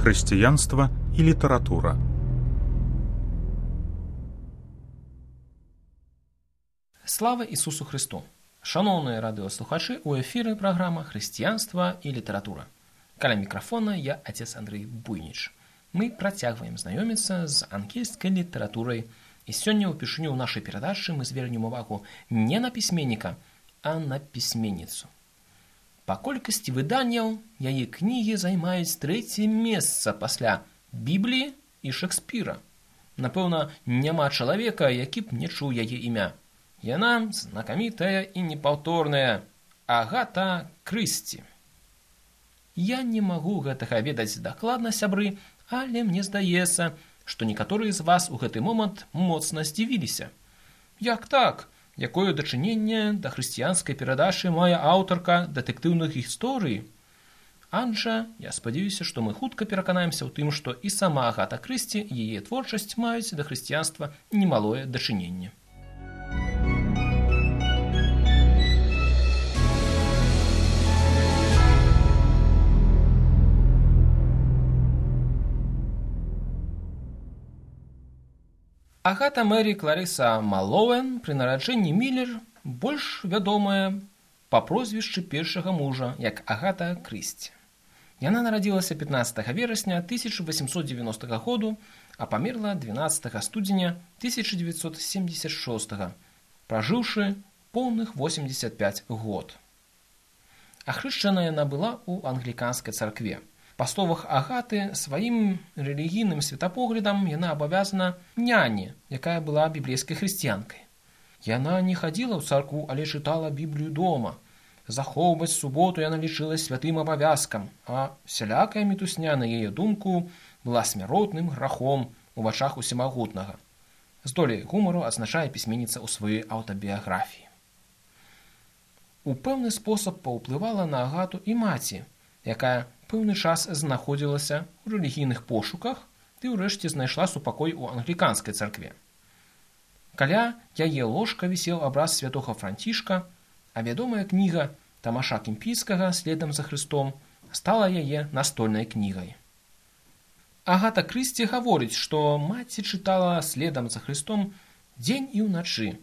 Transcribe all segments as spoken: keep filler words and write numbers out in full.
Хрысціянства і літаратура. Слава Ісусу Христу! Шановні радіослухачі, у ефірі програма «Християнство і література». Каля мікрофона я, отец Андрей Буйніч. Мы працягваем знаёміцца з ангельскай літаратурай, і сёння ўпершыню ў нашай перадачы мы звернем увагу не на пісьменніка, а на пісьменніцу. Па колькасці выданняў яе кнігі займаюць трэцяе месца пасля Бібліі і Шекспіра. Напэўна, няма чалавека, які б не чуў яе імя. Яна знакамітая і непаўторная Агата Крысці. Я не магу гэтага ведаць дакладна, сябры, але мне здаецца, што некаторыя з вас у гэты момант моцна здзівіліся. Як так? Якое дачыненне да хрысціянскай перадачы мае аўтарка дэтэктыўных гісторый? Аджа, я спадзяюся, што мы хутка пераканаемся ў тым, што і сама Агата Крысці і яе творчасць маюць да хрысціянства немалое дачыненне. Агата Мері Кларыса Малоуэн пры нараджэнні Міллер больш вядомая па прозвішчы першага мужа як Агата Крысці. Яна нарадзілася пятнаццатага верасня тысяча восемьсот девяностого году, а памерла двенадцатага студзеня тысяча девятьсот семьдесят шостого, пражыўшы поўных восемьдесят пять год. Ахрышчана яна была ў англіканскай царкве. Па словах Агаты, сваім рэлігійным светапоглядам яна абавязана няне, якая была біблейскай хрысціянкай. Яна не хадзіла ў царкву, але чытала Біблію дома. Захоўваць суботу яна лічыла святым абавязкам, а сялякая мітусня, на яе думку, была смяротным грахом у вачах усемагутнага. З доляй гумару адзначае пісьменніца ў сваёй аўтабіяграфіі. У пэўны спосаб паўплывала на Агату і маці, якая пэўны час знаходзілася ў рэлігійных пошуках ды ўрэшце знайшла супакой у англіканскай царкве. Каля яе ложка вісеў абраз святога Францішка, а вядомая кніга Тамаша Кемпійскага «Следам за Христом» стала яе настольнай кнігай. Агата Крысці гаворыць, што маці чытала «Следам за Христом» дзень і ўначы,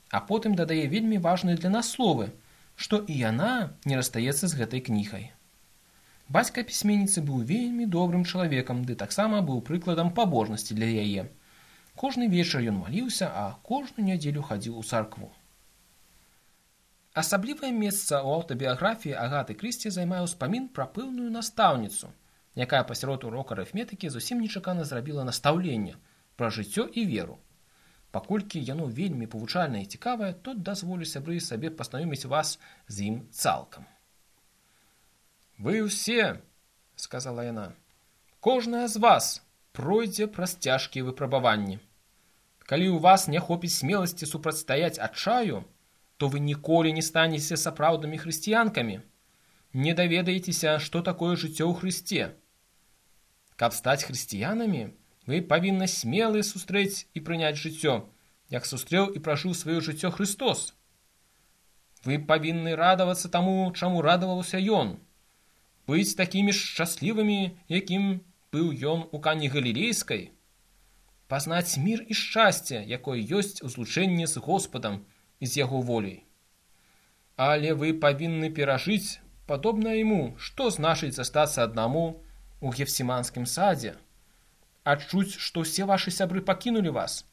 а потым дадае вельмі важныя для нас словы, што і яна не расстаецца з гэтай кнігай. Бацька пісьменніцы быў вельмі добрым чалавекам, ды таксама быў прыкладам пабожнасці для яе. Кожны вечар ён маліўся, а кожную нядзелю хадзіў у царкву. Асаблівае месца ў аўтабіяграфіі Агаты Крысці займае ўспамін пра пэўную настаўніцу, якая пасярод урока арыфметыкі зусім нечакана зрабіла настаўленне пра жыццё і веру. Паколькі яно вельмі павучальнае і цікавае, то дазволю сябры сабе пазнаёміць вас з ім цалкам. «Вы ўсе, — сказала яна, — кожная з вас пройдзе праз цяжкія выпрабаванні. Калі ў вас не хопіць смеласці супрацьстаяць адчаю, то вы ніколі не станеце сапраўднымі хрысціянкамі, не даведаецеся, што такое жыццё ў Хрысце. Каб стаць хрысціянамі, вы павінны смелы сустрэць і прыняць жыццё, як сустрэў і пражыў сваё жыццё Христос. Вы павінны радавацца таму, чаму радаваўся Ён, быць такімі шчаслівымі, якім быў ён у Кані Галілейскай, пазнаць мір і шчасце, якое ёсць у злучэнні з Господам і з яго воляй. Але вы павінны перажыць, падобна яму, што значыць застацца аднаму у Гефсіманскім садзе, адчуць, што ўсе вашы сябры пакінулі вас,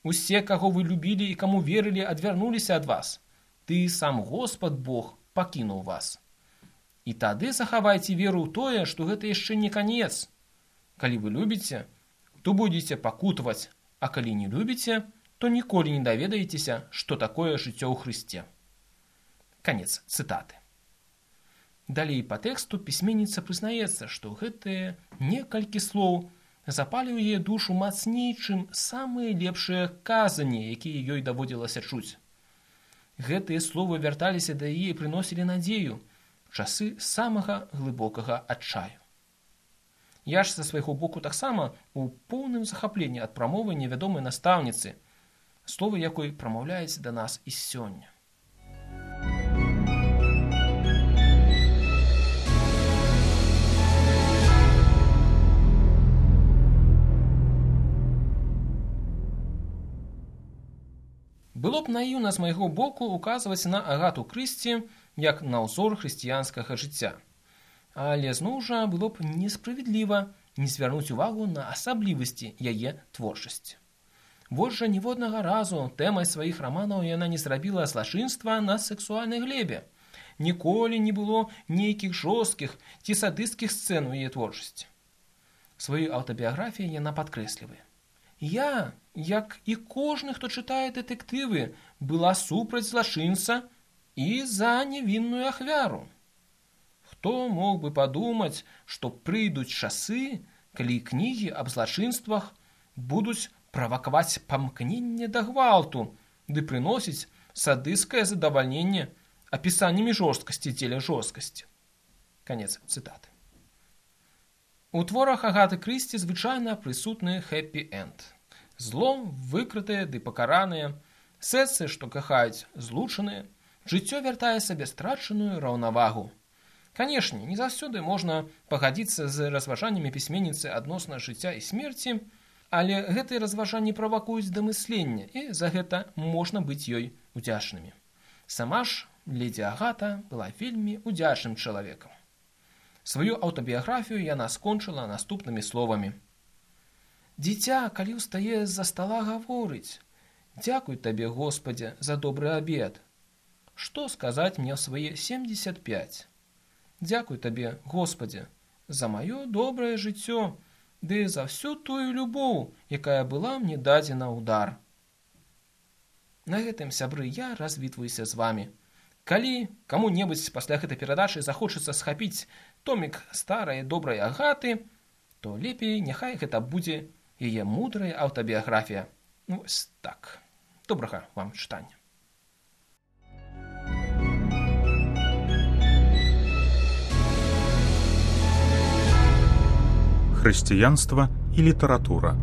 усе, каго вы любілі і каму верылі, адвярнуліся ад вас, ты сам Господ Бог пакінуў вас. І тады захавайце веру ў тое, што гэта яшчэ не канец. Калі вы любіце, то будзеце пакутаваць, а калі не любіце, то ніколі не даведаецеся, што такое жыццё ў Хрысце». Канец цытаты. Далей па тэксту пісьменніца прызнаецца, што гэтыя некалькі слоў запалі ў яе душу мацней, чым самыя лепшыя казанні, якія ёй даводзілася чуць. Гэтыя словы вярталіся да яе і прыносілі надзею, часы самага глыбокага адчаю. Я ж са свайго боку таксама у поўным захапленні ад прамовы невядомай настаўніцы, словы якой прамаўляюць да нас і сёння. Было б наіўна з майго боку указваць на Агату Крысці як на ўзор хрысціянскага жыцця. Але зноў жа было б несправядліва не звярнуць увагу на асаблівасці яе творчасці. Вось жа ніводнага разу тэмай сваіх раманаў яна не зрабіла злачынства на сексуальнай глебе. Ніколі не было нейкіх жорсткіх ці садысцкіх сцэн у яе творчасці. Сваю аўтабіяграфію яна падкрэслівае. Я, як і кожны, хто чытае дэтэктывы, была супраць злачынца і за невінную ахвяру. Хто мог бы падумаць, што прыйдуць часы, калі кнігі аб злачынствах будуць правакаваць памкненне да гвалту ды прыносіць садысцкае задавальненне апісаннямі жорсткасці дзеля жорсткасці. Канец цытаты. У творах Агаты Крысці звычайна прысутны хэппі-энд. Зло выкрытае ды пакараныя, сэрцы, што кахаюць, злучаныя, жыццё вяртае сабе страчаную раўнавагу. Канешне, не заўсёды можна пагадзіцца з разважаннямі пісьменніцы адносна жыцця і смерці, але гэтыя разважанні правакуюць да мыслення, і за гэта можна быць ёй удзячнымі. Сама ж ледзі Агата была вельмі удзячным чалавекам. Сваю аўтабіяграфію яна скончыла наступнымі словамі. «Дзіця, калі ўстае з-за стала, гаворыць: «Дзякуй табе, Господзе, за добры абед. Што сказаць мне ў свае семдзесят пяць? Дзякуй табе, Господзе, за маё добрае жыццё, ды за всю тую любоў, якая была мне дадзена ў дар». На гэтым, сябры, я развітваюся з вамі. Калі каму-небудзь пасля гэтай перадачы захочацца схапіць томік старай добрай Агаты, то лепей няхай гэта будзе яе мудрая аўтабіяграфія. Ну, вось так. Добрага вам чытання. Хрысціянства і літаратура.